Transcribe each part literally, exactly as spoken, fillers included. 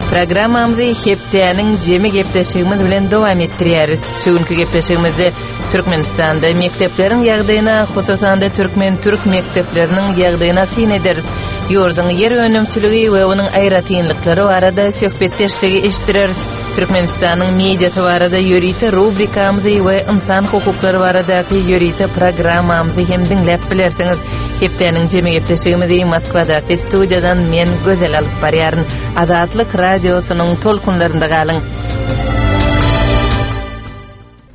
Programmamyzy hepdäniň jemi gepleşigimiz bilen dowam etdirýäris. Şu günki gepleşigimizde Türkmenistanda mekdepleriň ýagdaýyna, hususan-da türkmen-türk mekdepleriniň ýagdaýyna syn ederis. Ýurduň ýer önümçiligi we onuň aýratynlyklary barada söhbetdeşligi eşitdireris. Türkmenistanyň mediasy barada ýörite rubrikamyzy we ynsan hukuklary baradaky ýörite programmamyzy hem diňläp bilersiňiz. Hepdäniň jemi gepleşigimizi Moskwadaky studiýadan men Gözel alyp barýaryn. Azatlyk radiosynyň tolkunlarynda galyň.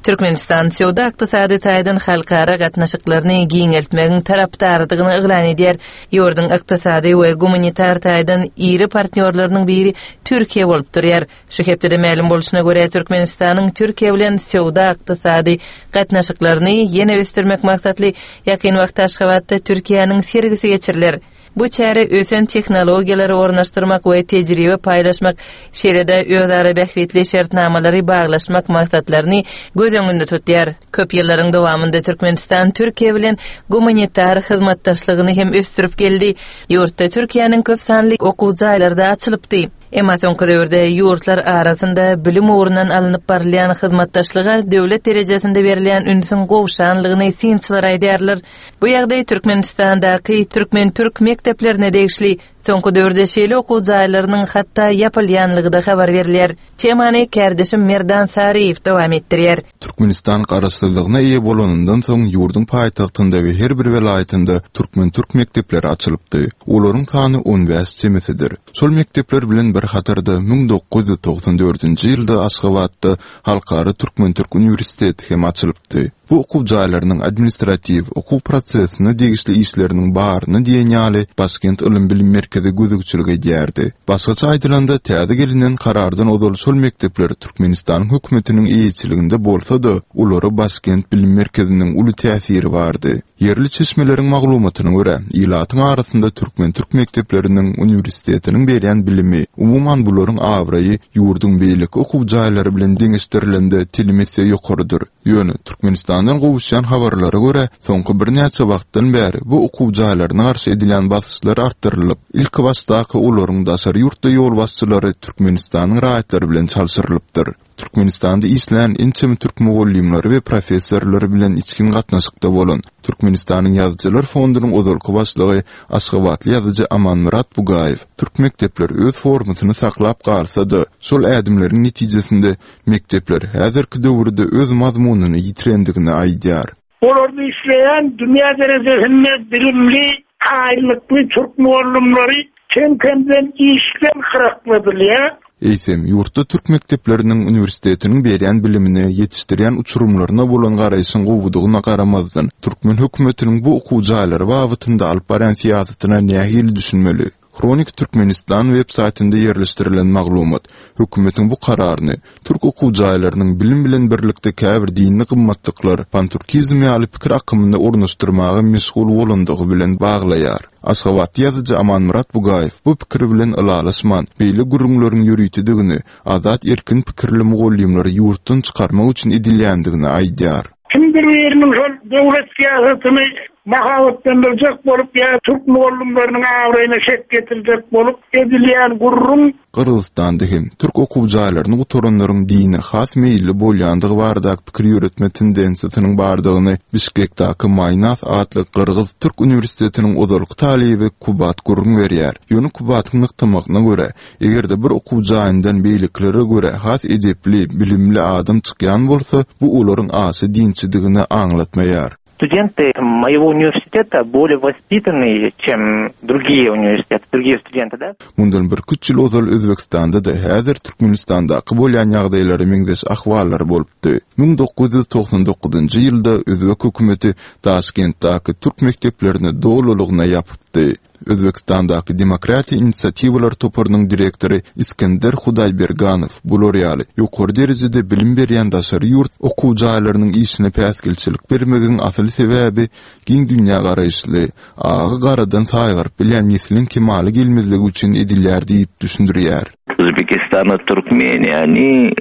Türkmenistan söwda ykdysady taýdan halkara gatnaşyklaryny giňeltmegiň tarapdarydygyny yglan edýär. Ýurduň ykdysady we gumanitar taýdan iri partnýorlarynyň biri Türkiýe bolup durýar. Şu hepdede mälim bolşuna görä Türkmenistanyň Türkiýe bilen söwda ykdysady gatnaşyklaryny ýene ösdürmek maksatly ýakyn wagtda Aşgabatda Türkiýäniň sergisi geçiriler. Bu çäre ösen tehnologiýalary ornaşdyrmak we tejribe paýlaşmak, şeýle-de özara bähbitli şertnamalary baglaşmak maksatlaryny göz öňünde tutýar. Köp ýyllaryň dowamynda Türkmenistan Türkiýe bilen gumanitar hyzmatdaşlygyny hem ösdürip geldi. Ýurtda Türkiýäniň köp sanly okuw jaýlary açylypdy. Emma soňky döwürde ýurtlar arasynda bilim ugrundan alnyp barylýan hyzmatdaşlyga döwlet derejesinde berilýän ünsüň gowşanlygyny synçylar aýdýarlar. Bu ýagdaý Türkmenistandaky türkmen-türk mekdeplerine degişli. Soňky döwürde şeýle okuw jaýlarynyň hatda ýapylýanlygy-da habar berilýär. Temany kärdeşim Merdan Saryýew dowam etdirýär. Türkmenistan garaşsyzlygyna eýe bolanyndan soň ýurduň paýtagtynda we her bir welaýatynda türkmen-türk mekdepleri açylypdy. Olaryň sany on bäş çemesidir. Şol mekdepler bilen bir hatarda müň dokuz ýüz togsan dördünji ýylda Aşgabatda Halkara Türkmen-Türk uniwersiteti hem açylypdy. Bu okuw jaýlarynyň administratiw okuw prosesine degişli işleriniň baryny diýen ýaly Başkent ylym-bilim merkezi gözegçilik edýärdi. Başgaça aýdylanda, täze gelinen karardan ozal şol mekdepler Türkmenistanyň hökümetiniň eýeçiliginde bolsa-da, olara Başkent bilim merkeziniň uly täsiri bardy. Ýerli çeşmeleriň maglumatyna görä, ilatyň arasynda türkmen-türk mekdepleriniň uniwersitetiniň berýän bilimi, umuman bularyň abraýy ýurduň beýleki okuw jaýlary bilen deňeşdirilende telim esse ýokarydyr. Ýöne Türkmenistandan gowuşýan habarlara görä, soňky birnäçe wagtdan bäri bu okuw jaýlaryna garşy edilýän basyşlar artdyrylyp, ilki başdaky olaryň daşary ýurtda ýolbaşçylary Türkmenistanyň raýatlary bilen çalşyrylypdyr. Türkmenistanda işleýän ençeme türk mugallymlary we professorlary bilen içgin gatnaşykda bolan Türkmenistanyň Ýazyjylar fondunyň ozalky başlygy Aşgabatly ýazyjy Amanmyrat Bugaýew türk mekdepleri öz formasyny saklap galsa-da, şol ädimleriň netijesinde mekdepler häzirki döwürde öz mazmunyny ýitirendigini aýdýar. Olarda işleýän dünýä derejesinde bilimli, taýynlykly türk mugallymlary kem-kemden işden gyrakladylýar. Eýsem, ýurtda türk mekdepleriniň uniwersitetiniň berýän bilimine, ýetişdirýän uçurymlaryna bolan garaýşyň gowudygyna garamazdan, türkmen hökümetiniň bu okuw jaýlary babatynda alyp barýan syýasatyna nähili düşünmeli? Hronik Türkmenistan web saýtynda ýerleşdirilen maglumat hökümetiň bu kararyny türk okuw jaýlarynyň bilim bilen birlikde käbir dini gymmatlyklar, panturkizm ýaly pikir akymyny ornaşdyrmaga meşgul bolandygy bilen baglaýar. Aşgabatly ýazyjy Amanmyrat Bugaýew bu pikir bilen ylalaşman, beýle gürrüňleriň ýöritedigini, azat erkin pikirli mugallymlary ýurtdan çykarmak üçin edilýändigini aýdýar. Kimdir biriniň şol döwlet syýasatyny mahabatlandyrjak bolup ýa türk mugallymlarynyň abraýyna şek getirjek bolup edilýän gürrüň. Gyrgyzystanda hem türk okuw jaýlaryny gutaranlaryň dine has meýilli bolýandygy baradaky pikir ýöretme tendensiýasynyň bardygyny Bişkekdäki Maýnas atly Gyrgyz Türk uniwersitetiniň ozalky talyby Kubat gürrüň berýär. Ýöne Kubatyň nygtamagyna görä, eger-de bir okuw jaýyndan beýlekilere görä has edepli, bilimli adam çykýan bolsa, bu olaryň aşa dinçidigini aňlatmaýar. Студенты моего университета более воспитанные, чем другие университеты, другие студенты, да? Mundan bir küç ýyl ozal Özbekistanda da häzir Türkmenistandaky bolýan ýagdaýlara meňzeş ahwallar bolupdy. Müň dokuz ýüz togsan dokuzynjy ýylda Özbek hökümeti Daşkentdäki türk mekdeplerini dolulygyna ýapypdy. Özbekistandaky Demokratiýa inisiatiwalar toparynyň direktory Iskender Hudaýberganow bular ýaly ýokary derejede bilim berýän daşary ýurt okuw jaýlarynyň işine päsgelçilik bermegiň asyl sebäbi giň dünýä garaýyşly, agy garadan saýgaryp bilýän nesliň kemala gelmezligi üçin edilýär diýip düşündirýär. Uzbekistan, Türkmeniýa, они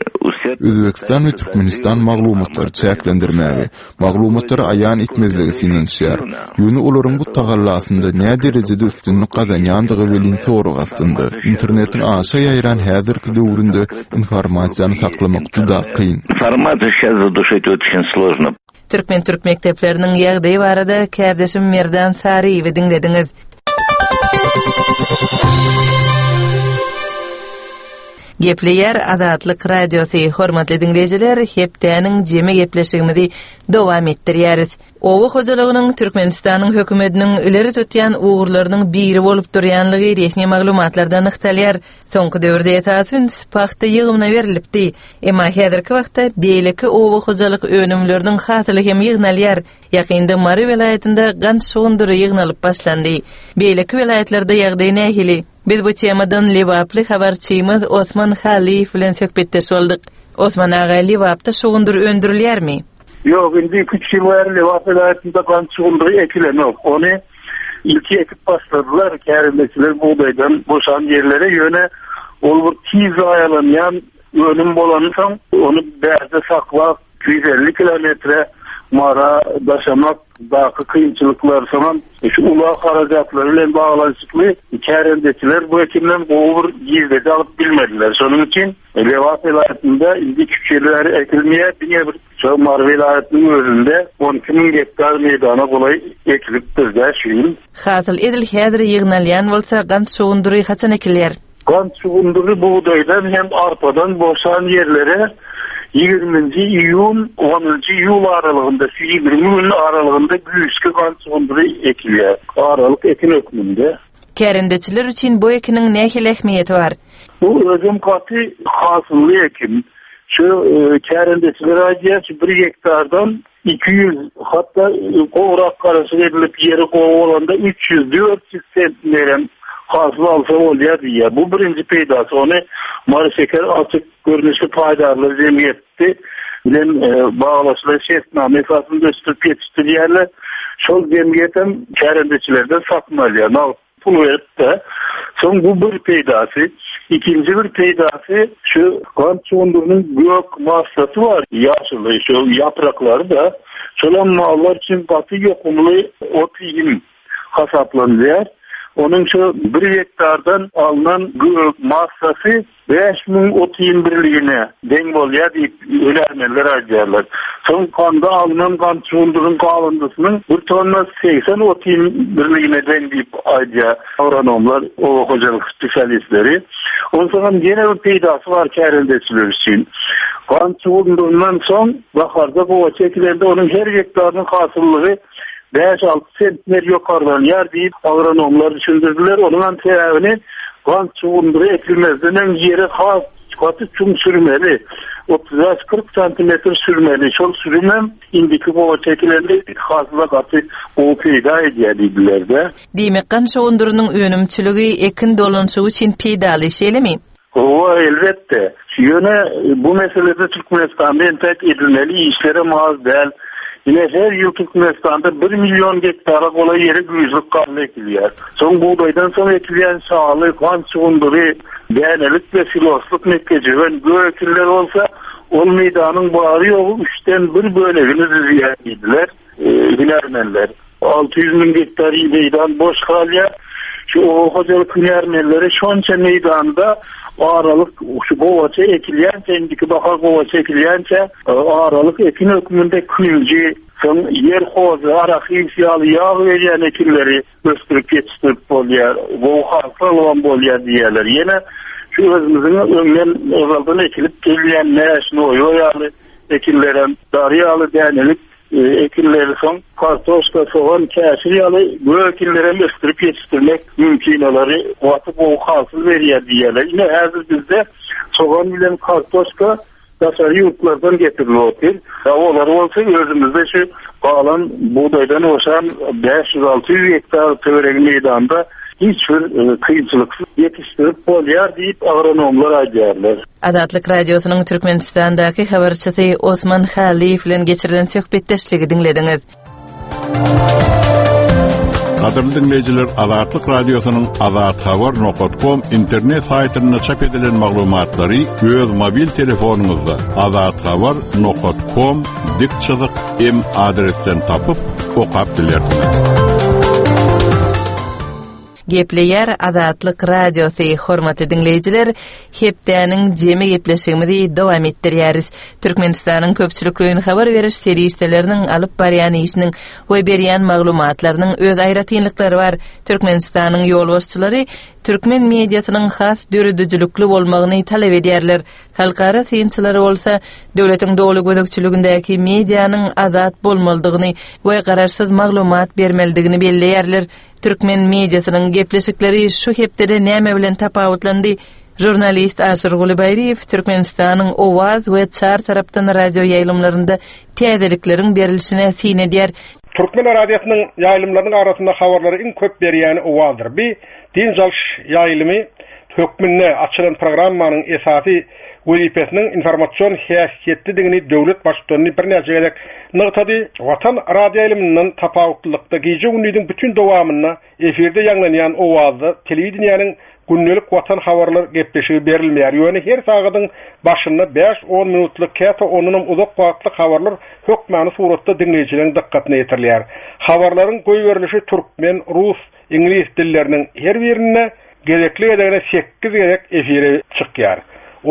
Özbegistan we Türkmenistan maglumatlary çäklendirmäge, maglumatlary aýan etmezligi synanyşýar. Ýöne olaryň bu tagallasynda nä derejede üstünlik gazanýandygy welin sorag astynda. Internetiň aşa ýaýran häzirki döwründe informasiýany saklamak juda kyn. Информацию сейчас задушить очень сложно. Türkmen-türk mekdepleriniň ýagdaýy barada kärdeşim Merdan Saryýewi diňlediňiz. Gepleýär Azatlyk Radiosy. Hormatly diňleýjiler, hepdäniň jemi gepleşigimizi dowam etdirýäris. Oba hojalygynyň Türkmenistanyň hökümetiniň ileri tutýan ugurlarynyň biri bolup durýanlygy resmi maglumatlarda nygtalýar. Soňky döwürde esasy üns pagta ýygymyna berilipdi. Emma häzirki wagtda beýleki oba hojalyk önümleriniň hasyly hem ýygnalýar. Ýakynda Mary welaýatynda gant şugundyry ýygnalyp başlandy. Beýleki welaýatlarda ýagdaý nähili? Biz bu temadan Lebaply habarçymyz Osman Halyýew bilen söhbetdeş bolduk. Osman aga, Lebapda şugundyr öndürilýärmi? Ýok, indi iki üç ýyl bäri Lebap welaýatynda gant şugundyry ekilenok. Ony ilki ekip başladylar, kärendeçiler bugdaýdan boşan ýerlere, ýöne ol bir tiz zaýalanýan önüm bolansoň, ony bärde saklap iki ýüz elli kilometre Mara daşamak daky kynçylyklar, soňam şu ulag harajatlary bilen baglanyşykly kärendeçiler bu ekinden gowy bir girdeji alyp bilmediler. Şonuň üçin Lebap welaýatynda indi iki üç ýyl bäri ekilmeýär, diňe bir şu Mary welaýatynyň özünde on iki müň gektar meýdana golaý ekilipdir-dä şu ýyl. Hasyl edil häzir ýygnalýan bolsa, gant şugundyry haçan ekilýär? Gant şugundyry bugdaýdan hem arpadan boşan ýerlere ýigriminji iýun, onunjy iýul aralygynda, şu ýigrimi gün aralygynda güýçli gant şugundyry ekilýär. Aralyk ekin hökmünde. Kärendeçiler üçin bu ekiniň nähili ähmiýeti bar? Bu özüm gaty hasylly ekin. Şu, e, kärendeçiler aýdýar, şu bir gektardan iki ýüz, hatda gowrak garaşyk edilip ýeri gowy bolanda üç ýüz, dört ýüz sentnerem hasyl alsa bolýar diýýär. Bu birinji peýdasy. Ony Mary şeker açyk görnüşli paýdarlar jemgyýeti bilen, e, baglaşylan şertnama esasynda ösdürip ýetişdirýärler. Şol jemgyýet hem kärendeçilerden satyn alýar. Nagt pul berip de. Soň bu bir peýdasy. Ikinji bir peýdasy şu gant şugundyrynyň gök massasy bar, ýaşyly, şu ýapraklary da şolam mallar üçin gaty ýokumly ot iým hasaplanylýar. Onuň şu bir gektardan alnan gök massasy bäş müň ot iým birligine deň bolýar diýip hünärmenler aýdýarlar. Soň ganda alnan gant şugundyryň galyndysynyň bir tonna segsen ot iým birligine deň diýip aýdýar agronomlar, oba hojalyk spesialistleri. Onsoň hem ýene bir peýdasy bar kärendeçiler üçin. Gant şugundyryndan soň baharda gowaça ekilende onuň her gektarynyň hasyllygy bäş alty sentner ýokarlanýar diýip agronomlar düşündirdiler. Onuň hem sebäbini gant şugundyry ekilmezden öň ýere has gaty çuň sürmeli. otuz bäş kyrk santimetr sürmeli. Şol sürüm hem indiki gowaça ekilende hasyla gaty gowy peýda edýär diýdiler-de. Diýmek, gant şugundyrynyň önümçiligi ekin dolanyşygy üçin peýdaly, şeýlemi? Hawa, elbetde. Ýöne bu meselede Türkmenistanda entek edilmeli işlere az däl. Ýine her ýyl Türkmenistanda bir milyon gektara golaý ýere güýzlük galla ekilýär. Soň bugdaýdan soň ekilýän şaly, gant şugundyry, dänelik we siloslyk mekgejöwen gök ekinler bolsa, ol meýdanyň bary ýogy üçden bir bölegini düzýär diýdiler, e, hünärmenler. Alty ýüz müň gektar meýdan boş galýar. Şu oba hojalyk hünärmenleri şonça meýdanda aralyk şu gowaça ekilýänçe, indiki bahar gowaça ekilýänçe, e, aralyk ekin hökmünde künji, soň ýer hozy, arahis ýaly ýag berýän ekinleri ösdürip ýetişdirip bolýar, gowy hasyl alan bolýar diýýärler. Ýene şu özümiziň öňden ozaldan ekilip gelýän mäş, noýba ýaly ekinlerem, dary ýaly dänelik, e, ekinleri soň kartoşka, sogan, käşir ýaly gök ekinlerem ösdürip ýetişdirmek mümkin, olary gaty gowy hasyl berýär diýýärler. Ine häzir bizde sogan bilen kartoşka daşary ýurtlardan getirilip otyr. Ya olar bolsa özümizde şu galan bugdaýdan boşan bäş ýüz alty ýüz gektar töweregi meýdanda hiç bir, e, kynçylyksyz ýetişdirip bolýar diýip agronomlar aýdýarlar. Azatlyk Radiosynyň Türkmenistandaky habarçysy Osman Halyýew bilen geçirilen söhbetdeşligi diňlediňiz. Gadyrly dinleýjiler, Azatlyk Radiosynyň azathabar nokta com internet saýtynda çap edilen maglumatlary öz mobil telefonyňyzda azathabar nokta com dik çyzyk m adresden tapyp okap bilersiňiz. Gepleýär Azatlyk Radiosy, hormatly dinleýjiler, hepdäniň jemi gepleşigimizi dowam etdirýäris. Türkmenistanyň köpçülikleýin habar beriş serişdeleriniň alyp barýan işiniň we berýän maglumatlarynyň öz aýratynlyklary bar. Türkmenistanyň ýolbaşçylary türkmen mediasynyň has döredijilikli bolmagyny talap edýärler. Halkara synçylary bolsa döwletiň doly gözegçiligindäki medianyň azat bolmalydygyny we garaşsyz maglumat bermelidigini belleýärler. Türkmen mediasynyň gepleşikleri şu hepdede näme bilen tapawutlandy? Jurnalist Aşyrguly Baýryýew Türkmenistanyň Owaz we Çar tarapdan radio ýaýlymlarynda täzelikleriň berilişine syn edýär. Türkmen radiosynyň ýaýlymlarynyň arasynda habarlary iň köp berýäni Owazdyr. Bi dynç alyş ýaýlymy hökmünde açylan programmanyň esasy wezipesiniň informasion häsiýetlidigini döwlet baştutany birnäçe gezek nygtady. Watan radio ýaýlymyndan tapawutlylykda gije-gündiziň bütün dowamynda efirde ýaňlanýan Owazda telewideniýäniň gündelik watan habarlar gepleşigi berilmeýär. Ýöne her sagadyň başynda bäş-on minutlyk, käte ondanam uzak wagtlyk habarlar hökmany suratda diňleýjileriň dykgatyna ýetirilýär. Habarlaryň goýberilişi türkmen, rus, iňlis dilleriniň her birinde gezekli gezegine sekiz gezek efire çykýar.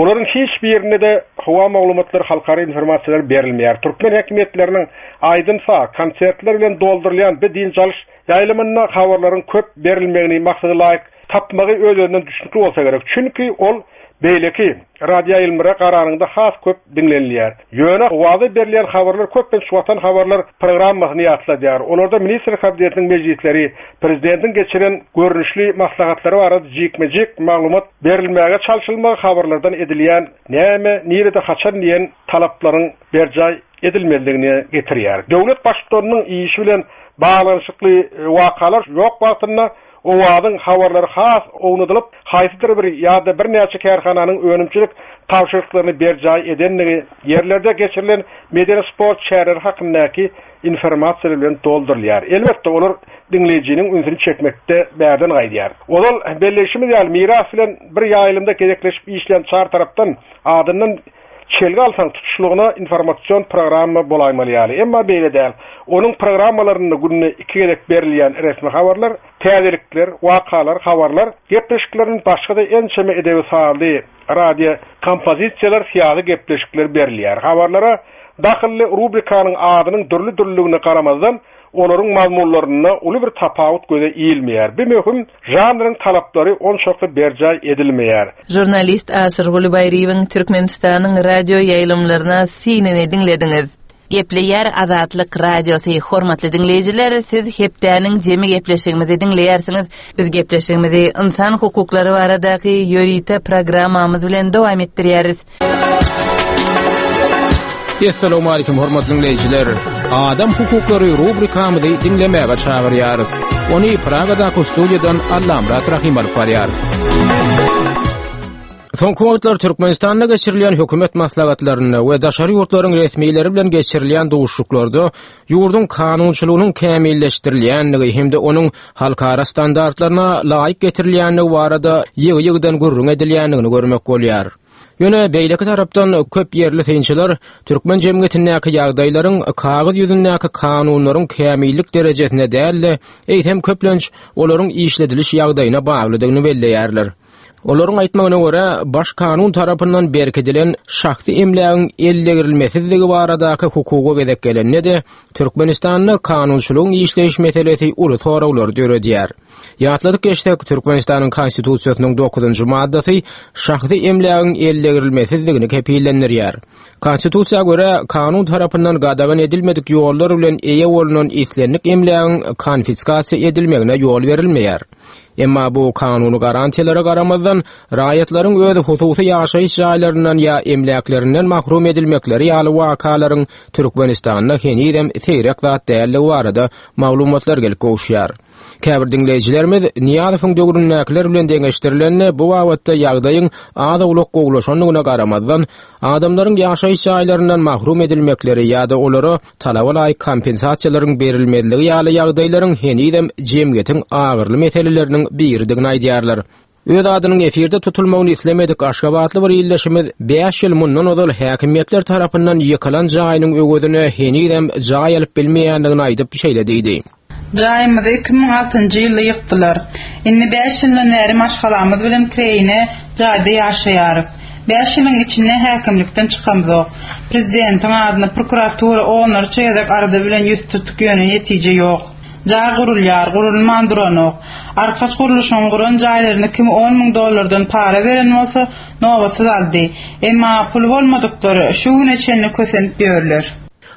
Olaryň hiç birinde de howa maglumatlary, halkara informasiýalar berilmeýär. Türkmen häkimiýetleriniň aýdym-saz, konsertler bilen doldurylýan bir dynç alyş ýaýlymynda habarlaryň köp berilmegini maksada laýyk tapmagy öz-özünden düşnükli bolsa gerek. Çünki ol beýleki radio ýaýlymlara garanyňda has köp diňlenilýär. Ýöne Owaza berilýän habarlar köplenç watan habarlar programmasyny ýatladýar. Olarda ministr kabinetiniň mejlisleri, prezidentiň geçiren görnüşli maslahatlary barada jikme-jik maglumat berilmäge çalşylmagy habarlardan edilýän näme, nirede, haçan diýen talaplaryň berjaý edilmelidigini getirýär. Döwlet baştutanynyň işi bilen baglanyşykly wakalar ýok wagtynda Owazyň habarlary has ownadylyp, haýsydyr bir ýa-da birnäçe kärhananyň önümçilik tabşyryklaryny berjaý edenligi, ýerlerde geçirilen medeni sport çäreleri hakyndaky informasiýalar bilen doldurylýar. Elbetde, olar diňleýjiniň ünsüni çekmekde bärden gaýdýar. Ozal belleýşimiz ýaly, miras bilen bir ýaýlymda gezekleşip işleýän çar tarapdan adyndan çelgi alsaň tutuşlygyna informasion programma bolaýmaly ýaly. Emma beýle däl. Onuň programmalarynda günde iki gezek berilýän resmi habarlar, täzelikler, wakalar, habarlar, gepleşikleriň başga-da ençeme edebi sazly radio kompozisiýalar, syýasy gepleşikler berilýär. Habarlara dahylly rubrikanyň adynyň dürli-dürlüligine garamazdan, olaryň mazmunlarynda uly bir tapawut göze ilmeýär. Bir möhüm žanryň talaplary onçakly berjaý edilmeýär. Jurnalist Aşyrguly Baýryýewiň Türkmenistanyň radio ýaýlymlaryna synyny diňlediňiz. Gepleýär Azatlyk Radiosy. Hormatly diňleýjiler, siz hepdäniň jemi gepleşigimizi diňleýärsiňiz. Biz gepleşigimizi ynsan hukuklary baradaky ýörite programmamyz bilen dowam etdirýäris. Essalamu aleýkum hormatly dinleýjiler. Adam hukuklary rubrikamyzy diňlemäge çagyrýarys. Ony Pragadaky studiýadan Allamyrat Rahim alyp barýar. Soňky wagtlar Türkmenistanda geçirilýän hökümet maslahatlarynda we daşary ýurtlaryň resmileri bilen geçirilýän duşuşyklarda ýurduň kanunçylygynyň kämilleşdirilýändigi hem-de onuň halkara standartlaryna laýyk getirilýändigi barada ýygy-ýygydan gürrüň edilýändigini görmek bolýar. Ýöne beýleki tarapdan köp ýerli synçylar türkmen jemgyýetindäki ýagdaýlaryň kagyz ýüzündäki kanunlaryň kämillik derejesine däl-de, eýsem köplenç olaryň işlediliş ýagdaýyna baglydygyny belleýärler. Olaryň aýtmagyna görä, baş kanun tarapyndan berkidilen şahsy emlägiň ellegirilmesizligi baradaky hukuga gezek gelende-de Türkmenistanda kanunçylygyň işleýiş meselesi uly soraglary döredýär. Ýatladyk geçsek, Türkmenistanyň Konstitusiýasynyň dokuzynjy maddasy şahsy emlägiň ellegirilmesizligini kepillendirýär. Konstitusiýa görä, kanun tarapyndan gadagan edilmedik ýollar bilen eýe bolunan islendik emlägiň konfiskasiýa edilmegine ýol berilmeýär. Emma bu kanuny garantiýalara garamazdan, raýatlaryň öz hususy ýaşaýyş jaýlaryndan ýa emläklerinden mahrum edilmekleri ýaly wakalaryň Türkmenistanda henizem seýrek zat dälligi barada maglumatlar gelip gowuşýar. Käbir diňleýjilerimiz Nyýazowyň döwründäkiler bilen deňeşdirilende bu babatda ýagdaýyň az-owlak gowulaşandygyna garamazdan, adamlaryň ýaşaýyş jaýlaryndan mahrum edilmekleri ýa-da olara talaba laýyk kompensasiýalaryň berilmezligi ýaly ýagdaýlaryň henizem jemgyýetiň agyrly meseleleriniň biridigini aýdýarlar. Öz adynyň efirde tutulmagyny islemedik Aşgabatly bir illeşimiz bäş ýyl mundan ozal häkimiýetler tarapyndan ýykylan jaýynyň öwezine henizem jaý alyp bilmeýändigini aýdyp şeýle diýdi. Jaýymyzy iki müň altynjy ýylda ýykdylar. Indi bäş ýyldan bäri maşgalamyz bilen kireýine jaýda ýaşaýarys. Bäş ýylyň içinde häkimlikden çykamzok. Prezidentiň adyna prokuratura onlarça gezek arza bilen ýüz tutduk, ýöne netije ýok. Jaý gurulýar, gurulman duranok. Arkaç gurluşygyň guran jaýlaryny kim on müň dollardan para beren bolsa, nobatsyz aldy. Emma puly bolmadyklar şu güne çenli kösenip ýörler.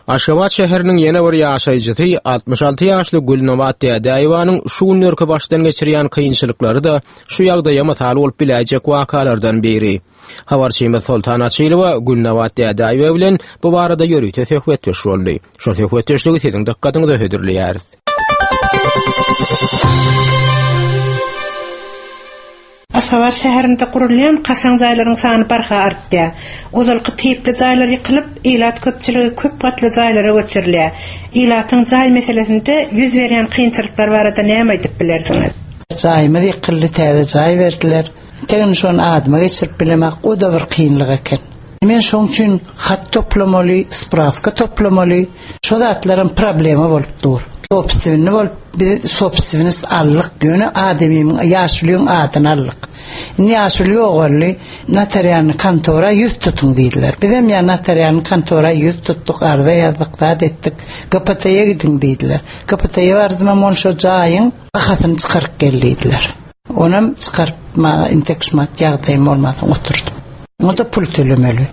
Aşgabat şäheriniň ýene bir ýaşaýjysy altmyş alty ýaşly Gülnabat Dädäýewanyň şu günlerki başdan geçirýän kynçylyklary da şu ýagdaýa mysal bolup biläýjek wakalardan biri. Habarçymyz Soltan Açylowa Gülnabat Dädäýewa bilen bu barada ýörite söhbetdeş boldy. Şol söhbetdeşligi siziň dykgatyňyza hödürleýäris. Aşgabat şäherinde gurulýan kaşaň jaýlaryň sany barha artýar. Ozalky tipli jaýlar ýykylyp, ilat köpçüligi köp gatly jaýlara göçürilýär. Ilatyň jaý meselesinde ýüz berýän kynçylyklar barada näme aýdyp bilersiňiz? Jaýymyz ýykyldy, täze jaý berdiler. Tegin şony adyma geçirip bilemek, o da bir kynlyk eken. Men şoň üçin hat toplamaly, spravka toplamaly, şo zatlaram problema bolup dur. Sobstvenni bolup, biz sobstvenist aldyk, ýöne adamymyň, ýaşulyň adyny aldyk. Indi ýaşuly ýogaldy, notarialny kontora ýüz tutuň diýdiler. Bizem ýa notarialny kontora ýüz tutduk, arza ýazdyk, zat etdik. G P T-ye gidiň diýdiler. G P T-ye bardym, hem ol şo jaýyň bahasyny çykaryp gel diýdiler. Onam çykartmaga intek şumat ýagdaýym bolmasyn oturdum. Onda pul tölemeli.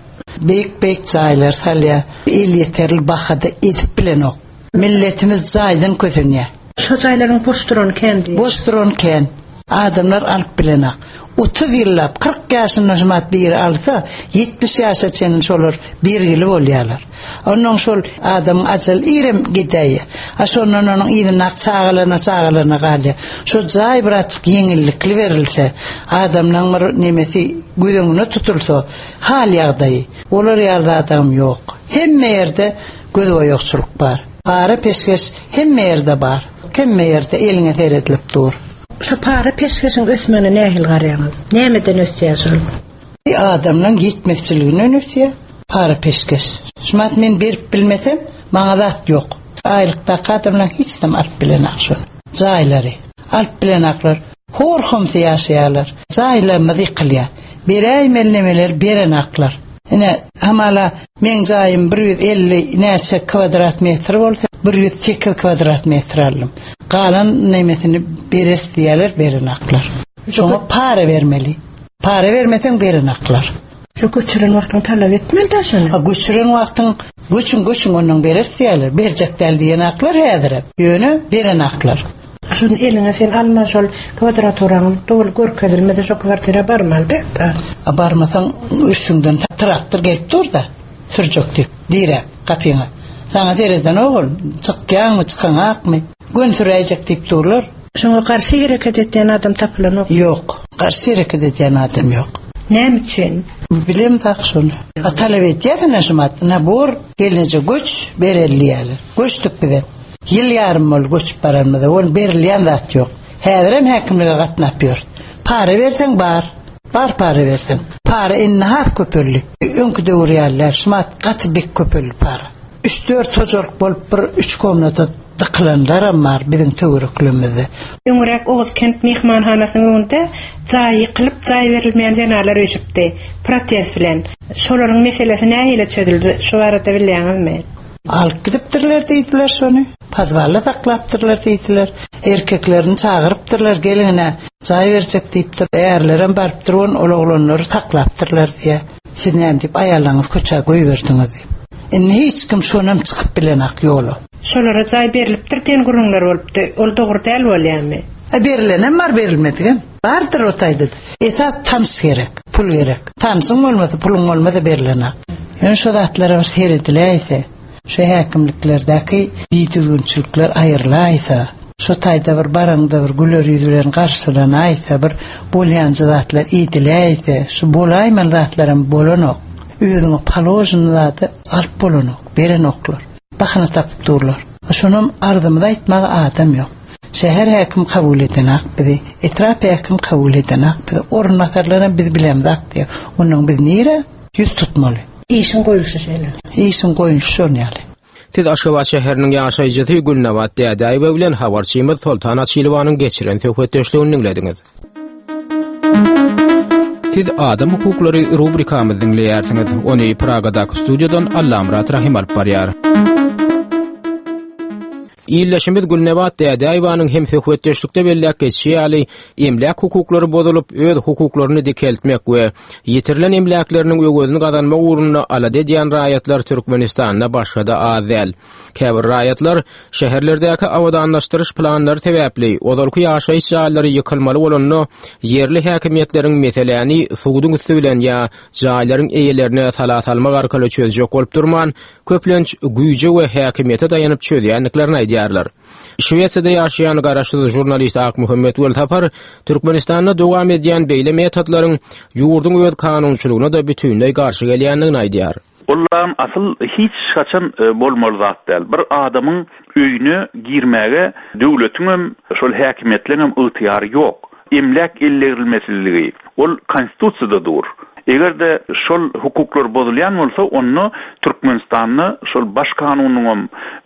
Beýik-beýik jaýlar salýar, el ýeterli bahada edip bilenok. Milletimiz jaýdan kösenýär. Şo jaýlaryň boş duran kän diýip. Boş duran kän. Adamlar alyp bilenak. Otuz ýyllap, kyrk ýaşynda şumat biri alsa, ýetmiş ýaşa çenli şolar bergili bolýarlar. Ondan şol adamyň ajal irem gidäýýär. A şondan onuň yzyndaky çagalaryna, çagalaryna galýar. Şo jaý birazçyk ýeňillikli berilse, adamlaryň bir nemesi göz öňüne tutulsa, hal ýagdaýy, olar ýaly adam ýok. Hemme ýerde göz boýagçylyk bar. Para peşgeş hemme ýerde bar. Hemme ýerde eliňe seredilip dur. Şu para peşgeşiň ösmegine nähili garaýaňyz? Nämeden ösýär şol? Adamlaryň ýetmezçiliginden ösýär para peşgeş. Şumat men berip bilmesem, maňa zat ýok. Aýlykdaky adamlar hiç dem alyp bilenak şol. Jaýlary alyp bilenaklar. Hor-homsy ýaşaýarlar. Jaýlarymyz ýykylýar. Beräýmeli nemeler berenaklar. Ine, hamala meň jaýym bir ýüz elli näçe kvadrat metr bolsa, bir ýüz sekiz kvadrat metr aldym. Galan nemesini beres diýerler, berenaklar. Şoňa para bermeli. Para bermeseň berenaklar. Şu göçüren wagtyň talap etmeli da şony. Ha, göçüren wagtyň göçüň, göçüň ondan beres diýerler. Berjek däl diýen aklar häzir. Ýöne berenaklar. Şunu eliňe sen alma şol kvadraturaň doly görkezilmese şo kwartira barmaly da. A barmasaň üstüňden traktor gelip dur da sürjek diýip, dire gapyňa. Sana sereden ogul, çykýaňmy, çykaňakmy? Gön süräýjek diýip durlar. Şoňa garşy hereket etýän adam tapylanok. Ýok, garşy hereket edýän adam ýok. Näme üçin? Bilem tak şony. A talap etýärsin şumat. Na bor, gelince göç bereli diýerler. Göçdük bize. Ýyl ýarym bol göçüp baranymyzda, ol berilýän zat ýok. Häzirem häkimlige gatnap ýör. Para berseň bar, bar para berseň. Para indi has köpeldi. Öňki döwür ýalylar, şumat gaty bek köpeldi para. Üç dört hojalyk bolup bir üç komnata dykylanlaram bar biziň töwereklerimizde. Öňräk Oguzkent mehmanhanasynyň öňünde jaý ýykylyp, jaý berilmeýän zenalar üýşüpdi. Protest bilen. Şolaryň meselesi nähili çözüldi? Şu barada bilýäňizmi? Alyp gidipdirler diýdiler şony. Podwalda saklapdyrlar diýdiler. Erkeklerini çagyrypdyrlar, gelinine jaý berjek diýipdir. Ärlerem barypdyr, on ol oglanlary saklapdyrlar diýe. Siz näme diýip aýallaryňyzy köçä goýberdiňiz diýip. Indi hiç kim şonam çykyp bilenak ýola. Şolara jaý berilipdir diýen gürrüňler bolupdy. Ol dogry däl bolýarmy? E, berilenem bar, berilmedigem. Bardyr o taýda. Esas tanyş gerek, pul gerek. Tanşyň bolmasa, puluň bolmasa berilenak. Ýöne şo zatlara bir serediläýse, şu häkimliklerdäki bidüzgünçilikler aýrylaýsa, Şu taýda bir baraňda bir güler ýüz bilen garşylanaýsa, bir bolýanjy zatlar ediläýse, şu bolaýmaly zatlaram bolanok. Özüňe položen zady alyp bolanok, berenoklar. Bahana tapyp durlar. Şonam arzymyzy aýtmaga adam ýok. Şäher häkim kabul edenak bizi, etrap häkim kabul edenak bizi, orunbasarlaram biz bilemzak diýär. Onuň biz nire ýüz tutmaly? Işiň goýulşy şeýle. Işiň goýulşy şon ýaly. Siz Aşgabat şäheriniň ýaşaýjysy Gülnabat Dädäýewa bilen habarçymyz Soltan Açylowanyň geçiren söhbetdeşligini diňlediňiz. Siz Adam hukuklary rubrikamyzy diňleýärsiňiz. Ony Pragadaky studiýadan Allamyrat Rahim alyp barýar. Illeşimiz Gülnebat Dädäýewanyň hem söhbetdeşlikde belläp geçişi ýaly, emläk hukuklary bozulyp, öz hukuklaryny dikeltmek we ýitirilen emläkleriniň öwezini gazanmak ugrunda alada edýän raýatlar Türkmenistanda başga-da az däl. Käbir raýatlar şäherlerdäki abadanlaşdyryş planlary sebäpli ozalky ýaşaýyş jaýlary ýykylmaly bolanda ýerli häkimiýetleriň meseläni suduň üsti bilen ýa jaýlaryň eýelerine sala salmak arkaly çözjek bolup durman, köplenç güýje we häkimiýete daýanyp çözýändiklerini aýdýarlar. Şwesiýada ýaşaýan garaşsyz žurnalist Akmuhammet Welsapar Türkmenistanda dowam edýän beýle metodlaryň ýurduň öz kanunçylygyna da bütünleý garşy gelýändigini aýdýar. Olam asyl hiç haçan e, bolmaly zat däl. Bir adamyň öýüne girmäge döwletiň hem şol häkimiýetleň hem ygtyýary ýok. Emläk ellerilmesiligi ol konstitusiýada dur. Eger de şol hukuklar bozulýan bolsa, onda Türkmenistanda şol baş kanunyň hem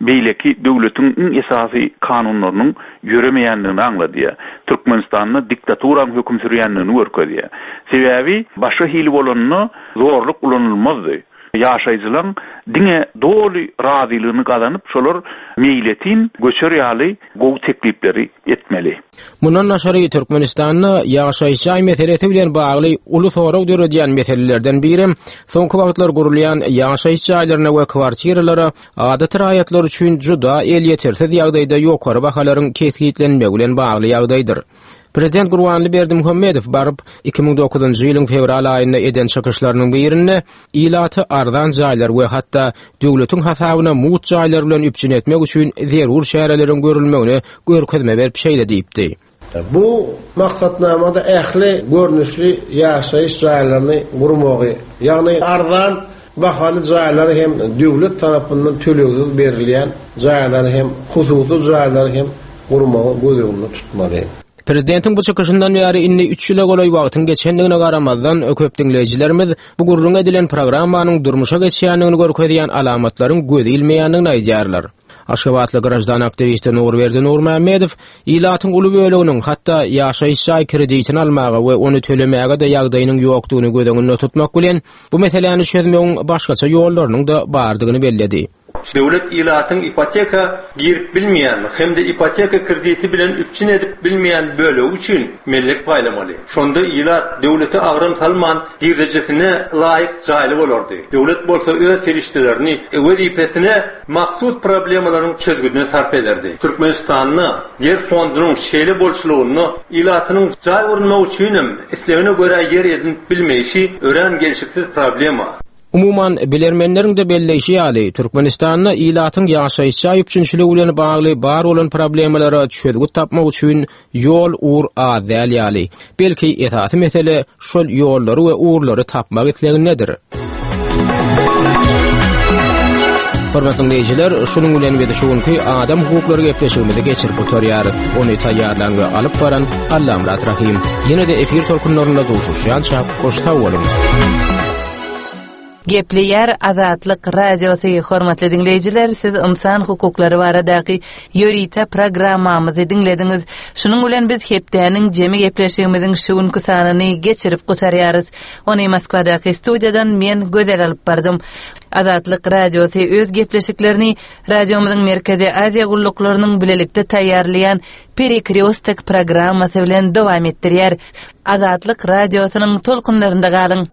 beýleki döwletiň iň esasy kanunlarynyň ýöremeýändigini aňladýar. Türkmenistanda diktaturaň höküm sürýändigini görkezýär. Sebäbi başga hili bolanda zorluk ulanylmazdy. Ýaşaýjylaryň diňe doly razylygyny gazanyp, şolar meýletin göçer ýaly gowy teklipleri etmeli. Mundan daşary Türkmenistanda ýaşaýyş jaý meselesi bilen bagly uly sorag döredýän meselelerden biri soňky wagtlar gurulýan ýaşaýyş jaýlaryna we kwartiralara adaty raýatlar üçin juda elýetersiz ýagdaýda ýokary bahalaryň kesgitlenmegi bilen bagly ýagdaýdyr. Prezident Gurbanguly Berdimuhamedow baryp iki müň dokuzynjy ýylyň fewral aýynda eden çykyşlarynyň birinde ilaty arzan jaýlar we hatda döwletiň hasabyna mugt jaýlar bilen üpjün etmek üçin zerur çäreleriň görülmegine görkezme berip şeýle diýipdi. Bu maksatnamada ähli görnüşli ýaşaýyş jaýlaryny gurmagy, ýagny arzan bahaly jaýlary hem döwlet tarapyndan tölegsiz berilýän jaýlary hem hususy jaýlary hem gurmagy göz öňünde tutmaly. Prezidentiň bu çykyşyndan bäri indi üç ýyla golaý wagtyň geçendigine garamazdan köp diňleýjilerimiz bu gürrüň edilen programmanyň durmuşa geçýändigini görkezýän alamatlaryň göz ilmeýändigini aýdýarlar. Aşgabatly grajdan aktiwisti Nurberdi Nurmämmedow ilatyň uly böleginiň hatda ýaşaýyş jaý kreditini almaga we ony tölemäge de ýagdaýynyň ýokdugyny göz öňünde tutmak bilen bu meseläni çözmegiň başgaça ýollarynyň da bardygyny belledi. Döwlet ilatyň ipoteka girip bilmeýän hem de ipoteka krediti bilen üpjün edip bilmeýän bölegi üçin mellek paýlamaly. Şonda ilat döwlete agram salman girdejesine laýyk jaýly bolardy. Döwlet bolsa öz serişdelerini wezipesine mahsus problemalaryň çözgüdine sarp ederdi. Türkmenistanda ýer fondunyň şeýle bolçulygynda ilatynyň jaý gurmak üçin hem islegine görä ýer edinip bilmeýşi örän gelşiksiz problema. Umuman bilermenleriň de belleýşi ýaly, Türkmenistanda ilatyň ýaşaýyş jaý üpjünçiligi bilen bagly bar bolan problemalara çözgüt tapmak üçin ýol ugur az däl ýaly. Belki esasy mesele şol ýollary we ugurlary tapmak islegindedir. Hormatly dinleýjiler, şunuň bilen biz şu günki adam hukuklary gepleşigimizi geçirip gutarýarys. Ony taýýarlan we alyp baran Allamyrat Rahim. Ýene de efir tolkunlarynda duşuşýança hoş sag boluň. Gepleýär Azatlyk Radiosy hormatly dinleýjiler, siz insan hukuklary baradaky ýörite programmamyzy diňlediňiz. Şunuň bilen biz hepdäniň jemi gepleşigimiziň şu günki sanyny geçirip gutarýarys. Ony Moskwadaky studiýadan men Gözel alyp bardym. Azatlyk Radiosy öz gepleşiklerini radiomyzyň Merkezi Aziýa gulluklarynyň bilelikde taýýarlaýan Perekrestok programmasy bilen dowam etdirýär. Azatlyk Radiosynyň tolkunlarynda galyň.